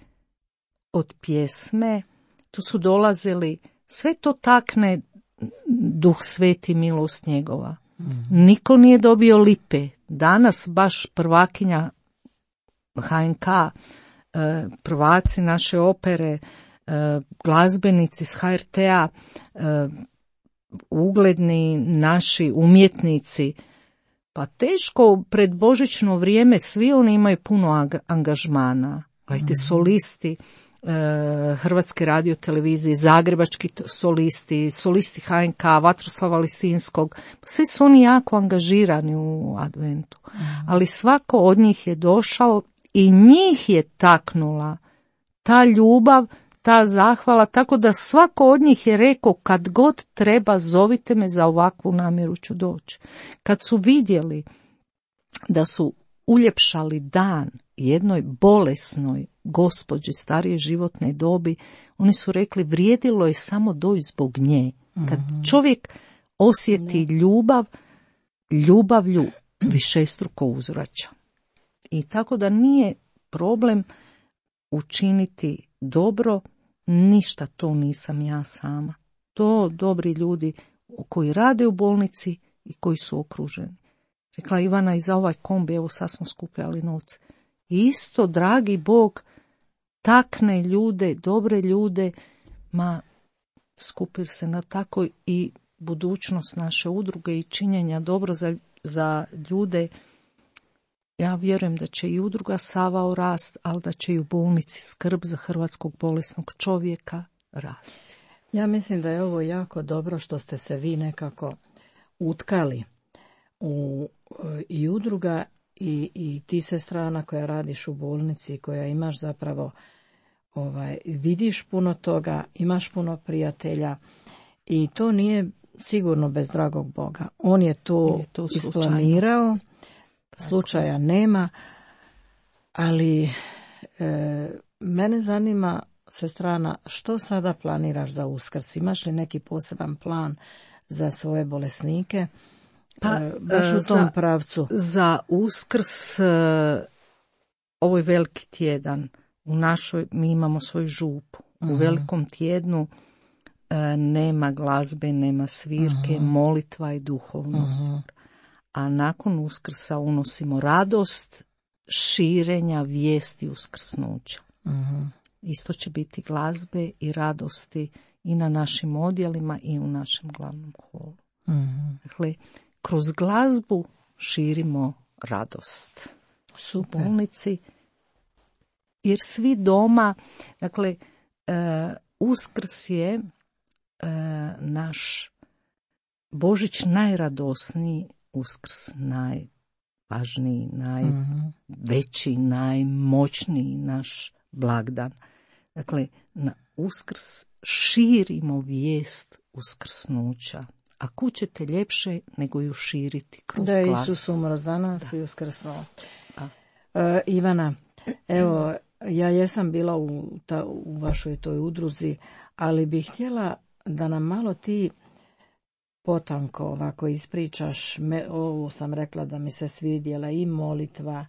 od pjesme, tu su dolazili, sve to takne Duh Sveti, milost njegova. Mm. Niko nije dobio lipe. Danas baš prvakinja H N K, prvaci naše opere, glazbenici s H R T-a, ugledni naši umjetnici, pa teško pred božićno vrijeme svi oni imaju puno angažmana. Gledajte, solisti Hrvatske radiotelevizije, zagrebački solisti, solisti H N K, Vatroslava Lisinskog, svi su oni jako angažirani u adventu. Ali svako od njih je došao i njih je taknula ta ljubav, ta zahvala, tako da svako od njih je rekao, kad god treba, zovite me, za ovakvu namjeru ću doći. Kad su vidjeli da su uljepšali dan jednoj bolesnoj gospođi starije životne dobi, oni su rekli, vrijedilo je samo doći zbog nje. Kad čovjek osjeti ljubav, ljubavlju višestruko uzvraća. I tako da nije problem učiniti dobro, ništa to nisam ja sama. To dobri ljudi koji rade u bolnici i koji su okruženi. Rekla Ivana, i za ovaj kombi, evo sad smo skupljali novce. Isto, dragi Bog, takne ljude, dobre ljude, ma skupir se na tako i budućnost naše udruge i činjenja dobro za, za ljude. Ja vjerujem da će i udruga Savao rast, ali da će i u bolnici skrb za hrvatskog bolesnog čovjeka rasti. Ja mislim da je ovo jako dobro što ste se vi nekako utkali u i udruga i, i ti se strana koja radiš u bolnici, koja imaš zapravo, ovaj, vidiš puno toga, imaš puno prijatelja i to nije sigurno bez dragog Boga. On je to, je to isplanirao, slučaja nema, ali e, mene zanima, sestrana, što sada planiraš za Uskrs? Imaš li neki poseban plan za svoje bolesnike? Pa, e, baš u tom za, pravcu. Za Uskrs, e, ovo je veliki tjedan. U našoj, mi imamo svoju župu. Uh-huh. U velikom tjednu e, nema glazbe, nema svirke, uh-huh. molitva i duhovnost. Uh-huh. A nakon Uskrsa unosimo radost širenja vijesti uskrsnuća. Uh-huh. Isto će biti glazbe i radosti i na našim odjelima i u našem glavnom holu. Uh-huh. Dakle, kroz glazbu širimo radost. Super. U bolnici, jer svi doma, dakle, uh, Uskrs je uh, naš Božić najradosniji, Uskrs najvažniji, najveći, uh-huh. najmoćniji naš blagdan. Dakle, na Uskrs širimo vijest uskrsnuća. A kud ćete ljepše nego ju širiti kroz da glazbu. Da Isus umro za nas i uskrsnuo. E, Ivana, evo, ja jesam bila u, ta, u vašoj toj udruzi, ali bih htjela da nam malo ti potanko ovako ispričaš. Me, ovo sam rekla da mi se svidjela i molitva,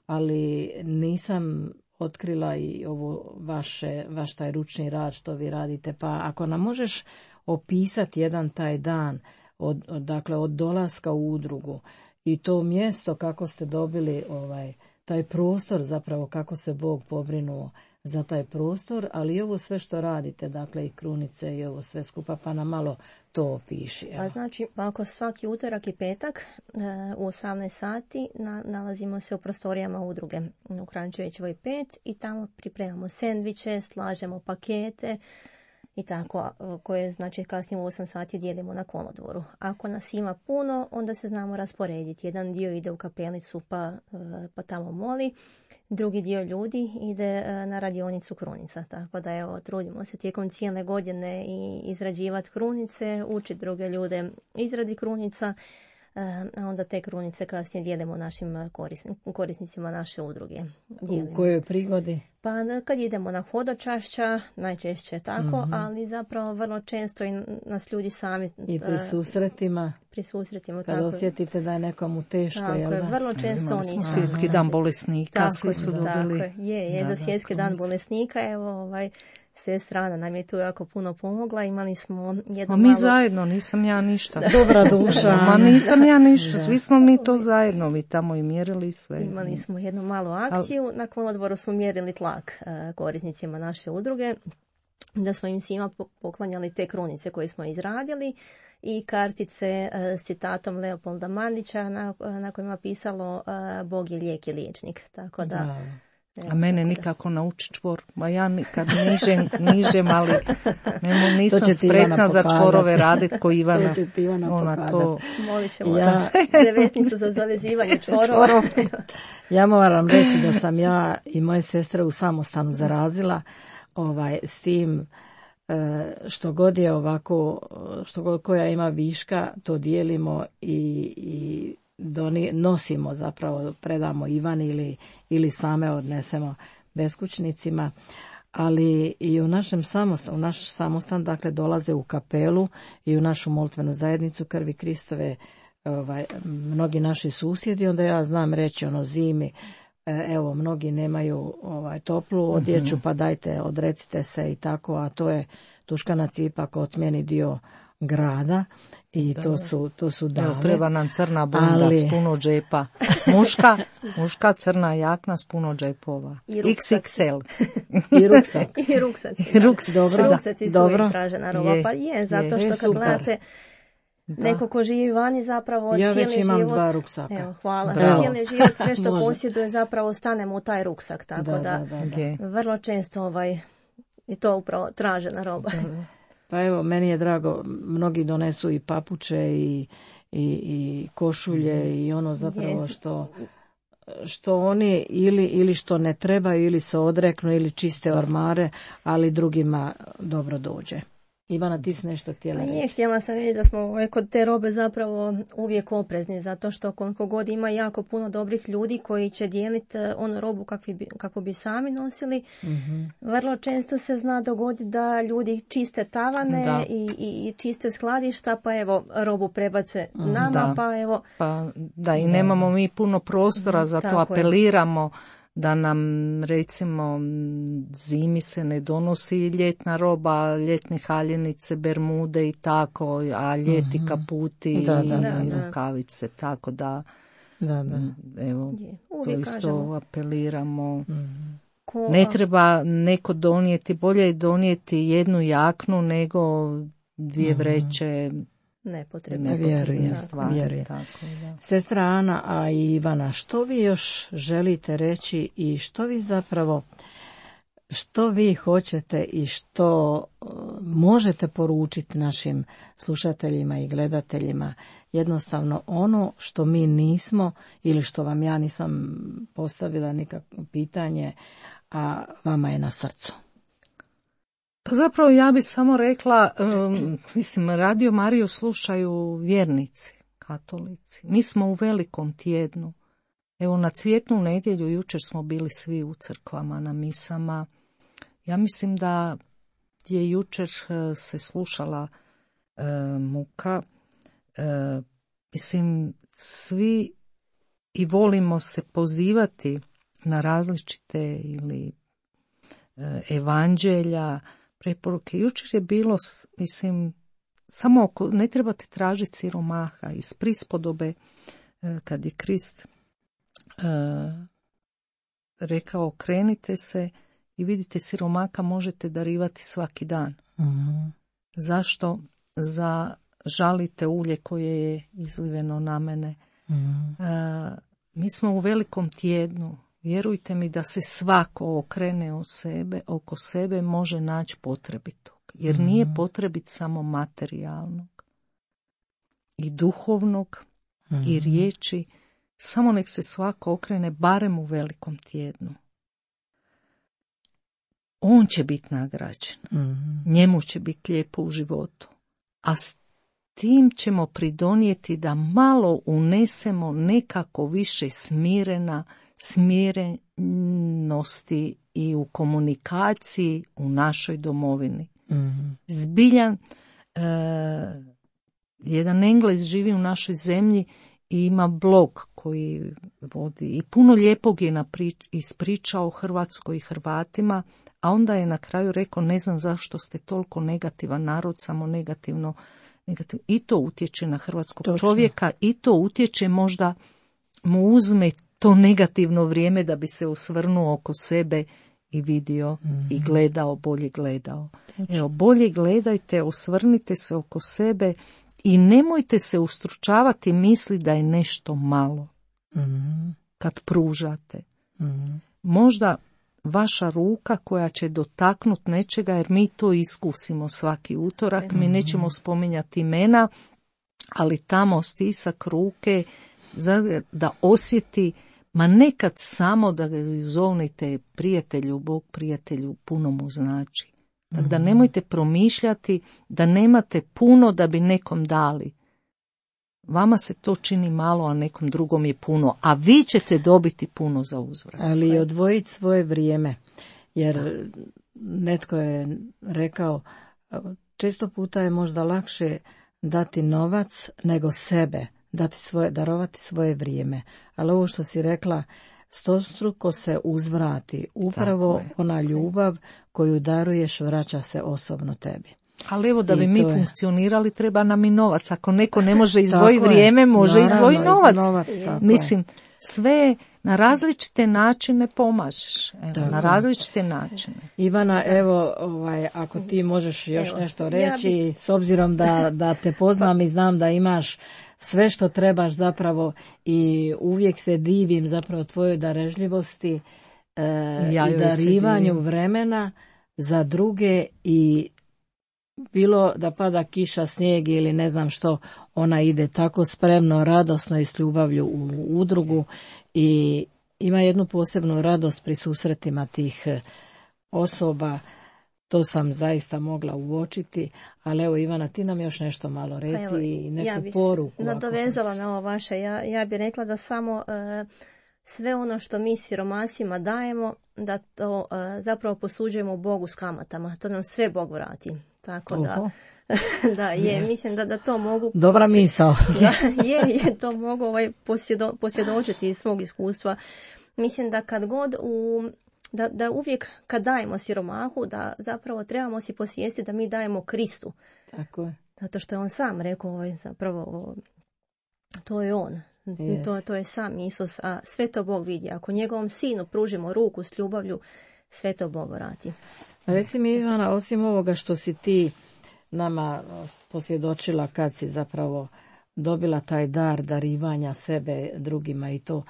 ali nisam otkrila i ovo vaše, vaš taj ručni rad što vi radite. Pa ako nam možeš opisati jedan taj dan, od, od, dakle od dolaska u udrugu i to mjesto kako ste dobili ovaj taj prostor, zapravo kako se Bog pobrinuo za taj prostor, ali i ovo sve što radite, dakle i krunice i ovo sve skupa, pa nam malo to opiši. A znači, ako svaki utorak i petak u osamnaest sati na, nalazimo se u prostorijama udruge u Kranjčevićevoj pet i tamo pripremamo sendviče, slažemo pakete i tako, koje znači kasnije u osam sati dijelimo na kolodvoru. Ako nas ima puno, onda se znamo rasporediti. Jedan dio ide u kapelicu pa, pa tamo moli, drugi dio ljudi ide na radionicu krunica. Tako da evo, trudimo se tijekom cijele godine i izrađivati krunice, učiti druge ljude izradi krunica, a onda te krunice kasnije dijelimo našim korisnicima naše udruge. Dijelimo. U kojoj prigodi? Pa kad idemo na hodočašća, najčešće tako, mm-hmm. ali zapravo vrlo često i nas ljudi sami... I pri susretima? Pri susretima, kad tako. Kad osjetite da je nekomu teško, tako jel da? je, vrlo često oni su... Svjetski dan bolesnika, tako, svi su tako, dobili... Tako je, je, da, za svjetski dan bolesnika, evo ovaj... Sestrana nam je tu jako puno pomogla, imali smo jedno A mi malo... zajedno, nisam ja ništa. Dobra duša. Ma nisam ja ništa, svi smo mi to zajedno, mi tamo i mjerili sve. Imali smo jednu malu akciju, na kolodvoru smo mjerili tlak korisnicima naše udruge, da smo im svima poklanjali te krunice koje smo izradili i kartice s citatom Leopolda Mandića na, na kojima pisalo Bog je lijek i liječnik, tako da... da. Evo, a mene nikako nauči čvor, ma ja nikad nižem, nižem, ali nemo nisam spretna za čvorove radit ko Ivana. To će ti Ivana Ona to... Molit ćemo ja... devetnicu za zavezivanje čvorova. Ja moram reći da sam ja i moje sestre u samostanu zarazila ovaj, s tim što god je ovako, što god koja ima viška, to dijelimo i, i Doni, nosimo zapravo, predamo Ivani ili, ili same odnesemo beskućnicima, ali i u našem samostan, u naš samostan dakle dolaze u kapelu i u našu molitvenu zajednicu Krvi Kristove ovaj, mnogi naši susjedi, onda ja znam reći ono zimi, evo mnogi nemaju ovaj, toplu odjeću, pa dajte odrecite se i tako, a to je Tuškana Cipak otmjeni dio grada i to su, to su dame. Evo, treba nam crna bunda ali... s puno džepa. Muška, muška crna jakna s puno džepova. iks iks el. I ruksak. I ruksaci. I ruksaci, dobro. Ruksaci su uvijek tražena roba. Pa je, zato što kad gledate neko ko živi vani zapravo ja cijeli već imam život. Dva ruksaka. Evo, hvala. Bravo. Cijeli život sve što posjeduje zapravo stanemo u taj ruksak. Tako da, da, da, da. da. vrlo često ovaj, je to upravo tražena roba. Da. Pa evo, meni je drago, mnogi donesu i papuče i, i, i košulje i ono zapravo što, što oni ili, ili što ne trebaju ili se odreknu ili čiste ormare, ali drugima dobro dođe. Ivana, ti si nešto htjela reći? Nije, htjela sam reći da smo ovaj, kod te robe zapravo uvijek oprezni, zato što koliko god ima jako puno dobrih ljudi koji će dijeliti onu robu kakvi bi, kako bi sami nosili, mm-hmm. vrlo često se zna dogoditi da ljudi čiste tavane i, i, i čiste skladišta, pa evo robu prebace nama, da. pa evo... Pa, da, i nemamo mi puno prostora, zato tako apeliramo je. Da nam, recimo, zimi se ne donosi ljetna roba, ljetne haljenice, bermude i tako, a ljeti mm-hmm. kaputi da, da, i da, rukavice, tako da, da, da. evo, to isto kažemo. Apeliramo. Mm-hmm. Ko, ne treba neko donijeti, bolje je donijeti jednu jaknu nego dvije vreće. Nepotrebne vjerujem, vjerujem. Sestra Ana, a i Ivana, što vi još želite reći i što vi zapravo, što vi hoćete i što uh, možete poručiti našim slušateljima i gledateljima, jednostavno ono što mi nismo ili što vam ja nisam postavila nikakvo pitanje, a vama je na srcu. Pa zapravo ja bih samo rekla, um, mislim, Radio Mariju slušaju vjernici, katolici. Mi smo u velikom tjednu. Evo, na Cvjetnu nedjelju jučer smo bili svi u crkvama, na misama. Ja mislim da je jučer uh, se slušala uh, muka. Uh, mislim, svi i volimo se pozivati na različite ili uh, evanđelja, preporuke. Jučer je bilo, mislim, samo oko, ne trebate tražiti siromaha iz prispodobe kad je Krist uh, rekao okrenite se i vidite siromaka možete darivati svaki dan. Mm-hmm. Zašto? Za žalite ulje koje je izliveno na mene. Mm-hmm. Uh, mi smo u velikom tjednu. Vjerujte mi da se svako okrene o sebe, oko sebe može naći potrebitog. Jer mm-hmm. nije potrebit samo materijalnog i duhovnog mm-hmm. i riječi. Samo nek se svako okrene barem u velikom tjednu. On će biti nagrađen. Mm-hmm. Njemu će biti lijepo u životu. A s tim ćemo pridonijeti da malo unesemo nekako više smirena smirenosti i u komunikaciji u našoj domovini. Mm-hmm. Zbiljan, e, jedan Englez živi u našoj zemlji i ima blog koji vodi i puno lijepog je naprič, ispričao Hrvatskoj i Hrvatima, a onda je na kraju rekao ne znam zašto ste toliko negativan narod, samo negativno, negativno. I to utječe na hrvatskog Točno. čovjeka i to utječe možda mu uzme to negativno vrijeme da bi se osvrnuo oko sebe i vidio mm-hmm. i gledao, bolje gledao. Točno. Evo, bolje gledajte, osvrnite se oko sebe i nemojte se ustručavati misli da je nešto malo mm-hmm. kad pružate. Mm-hmm. Možda vaša ruka koja će dotaknuti nečega, jer mi to iskusimo svaki utorak, mm-hmm. mi nećemo spominjati imena, ali tamo stisak ruke da osjeti, ma nekad samo da ga zovnite prijatelju, Bog prijatelju, puno mu znači. Tako da nemojte promišljati da nemate puno da bi nekom dali. Vama se to čini malo, a nekom drugom je puno, a vi ćete dobiti puno za uzvrat. Ali odvojiti svoje vrijeme, jer netko je rekao, često puta je možda lakše dati novac nego sebe, dati svoje, darovati svoje vrijeme. Ali ovo što si rekla, stostruko se uzvrati. Upravo ona ljubav koju daruješ vraća se osobno tebi. Ali evo da bi mi funkcionirali treba nam i novac. Ako neko ne može izdvojiti vrijeme, može izdvojiti novac. novac Mislim, sve na različite načine pomažeš. Evo, na različite načine. Ivana, evo, ovaj, ako ti možeš još evo, nešto reći, ja bih... s obzirom da, da te poznam i znam da imaš sve što trebaš zapravo i uvijek se divim zapravo tvojoj darežljivosti e, ja i darivanju vremena za druge i bilo da pada kiša, snijeg ili ne znam što, ona ide tako spremno, radosno i s ljubavlju u udrugu i ima jednu posebnu radost pri susretima tih osoba. To sam zaista mogla uočiti, ali evo Ivana, ti nam još nešto malo reci pa evo, i neku ja bi poruku. Nadovezala na ovo vaše, ja, ja bih rekla da samo uh, sve ono što mi siromasima dajemo, da to uh, zapravo posuđujemo Bogu s kamatama. To nam sve Bog vrati. Tako Oho. da... da, je, mislim da, da to mogu... Dobra misao. da, je, je, to mogu ovaj, posvjedo, posvjedočiti iz svog iskustva. Mislim da kad god u... Da, da uvijek kad dajemo siromahu, da zapravo trebamo si posvijestiti da mi dajemo Kristu. Tako je. Zato što je on sam rekao, ovaj, zapravo, to je on. Yes. To, to je sam Isus, a sve to Bog vidi. Ako njegovom sinu pružimo ruku s ljubavlju, sve to Bog vrati. Reci mi, Ivana, osim ovoga što si ti nama posvjedočila kad si zapravo dobila taj dar darivanja sebe drugima i to,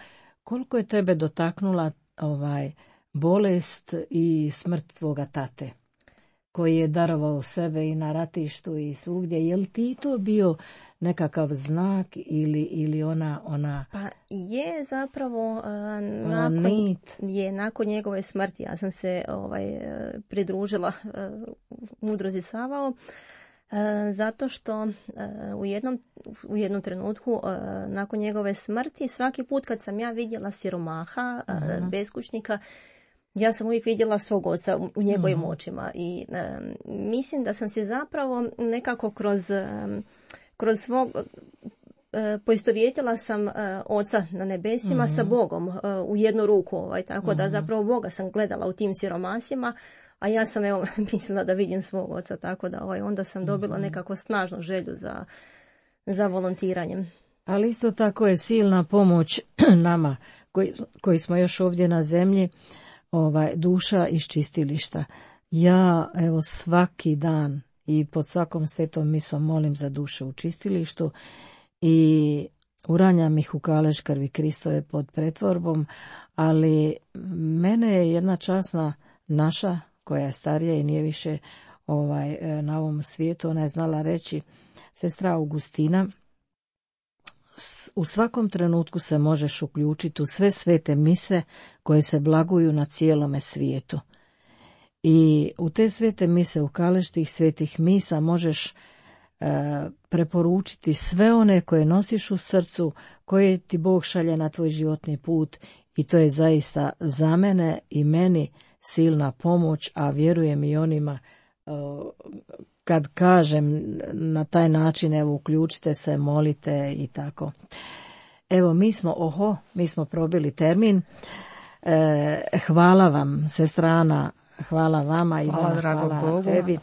koliko je tebe dotaknula ovaj bolest i smrt tvoga tate, koji je darovao sebe i na ratištu i svugdje? Je li ti to bio nekakav znak ili, ili ona, ona... Pa je zapravo uh, nakon, je, nakon njegove smrti. Ja sam se ovaj, pridružila uh, Udruzi Savao uh, zato što uh, u, jednom, u jednom trenutku uh, nakon njegove smrti svaki put kad sam ja vidjela siromaha, uh, beskućnika, ja sam uvijek vidjela svog oca u njegovim mm. očima i um, mislim da sam se zapravo nekako kroz, um, kroz svog, uh, poistovjetila sam uh, oca na nebesima mm. sa Bogom uh, u jednu ruku, ovaj, tako mm. da zapravo Boga sam gledala u tim siromasima, a ja sam evo mislila da vidim svog oca, tako da ovaj, onda sam dobila nekako snažnu želju za, za volontiranjem. Ali isto tako je silna pomoć nama koji, koji smo još ovdje na zemlji, ovaj, duša iz čistilišta. Ja evo svaki dan i pod svakom svetom misom molim za duše u čistilištu i uranjam ih u kalež krvi Kristove pod pretvorbom, ali mene je jedna časna naša, koja je starija i nije više ovaj, na ovom svijetu, ona je znala reći, sestra Augustina, u svakom trenutku se možeš uključiti u sve svete mise koje se blaguju na cijelome svijetu. I u te svete mise, u kalež tih svetih misa možeš e, preporučiti sve one koje nosiš u srcu, koje ti Bog šalje na tvoj životni put i to je zaista za mene i meni silna pomoć, a vjerujem i onima e, kad kažem na taj način, evo uključite se, molite i tako. Evo mi smo, oho, mi smo probili termin. E, hvala vam, sestra Ana, hvala vama i hvala, hvala, hvala tebi.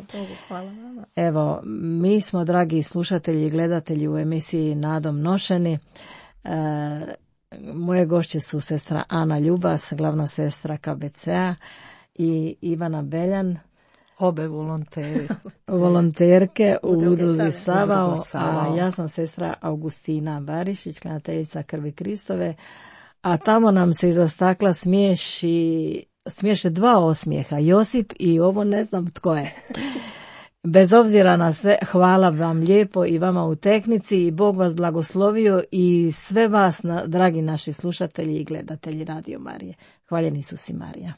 Hvala vama. Evo, mi smo, dragi slušatelji i gledatelji, u emisiji Nadom nošeni. E, moje gošće su sestra Ana Ljubas, glavna sestra K B C-a i Ivana Beljan, obe volonteri. volonterke u Udruzi Savao, a ja sam sestra Augustina Barišić, klanjateljica krvi Kristove, a tamo nam se iza stakla smiješi, smiješe dva osmijeha, Josip i ovo ne znam tko je. Bez obzira na sve, hvala vam lijepo i vama u tehnici i Bog vas blagoslovio i sve vas, na, dragi naši slušatelji i gledatelji Radio Marije. Hvaljen Isus i Marija.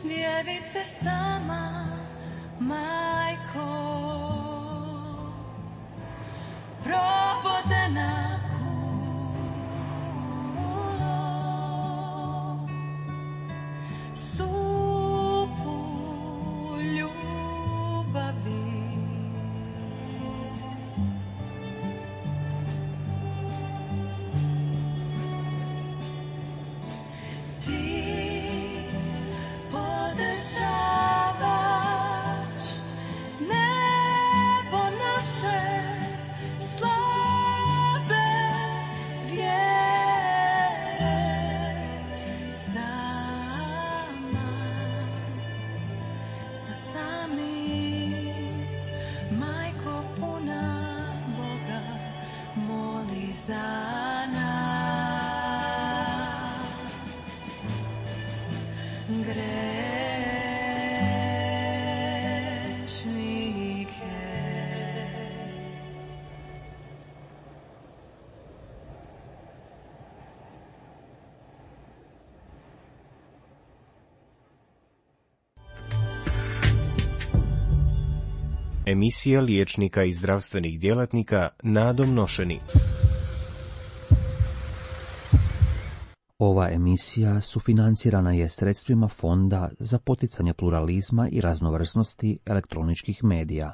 djevice sama, majko, probodena kulo, stupu ljubavi. Emisija liječnika i zdravstvenih djelatnika Nadom Nošeni. Ova emisija sufinancirana je sredstvima Fonda za poticanje pluralizma i raznovrsnosti elektroničkih medija.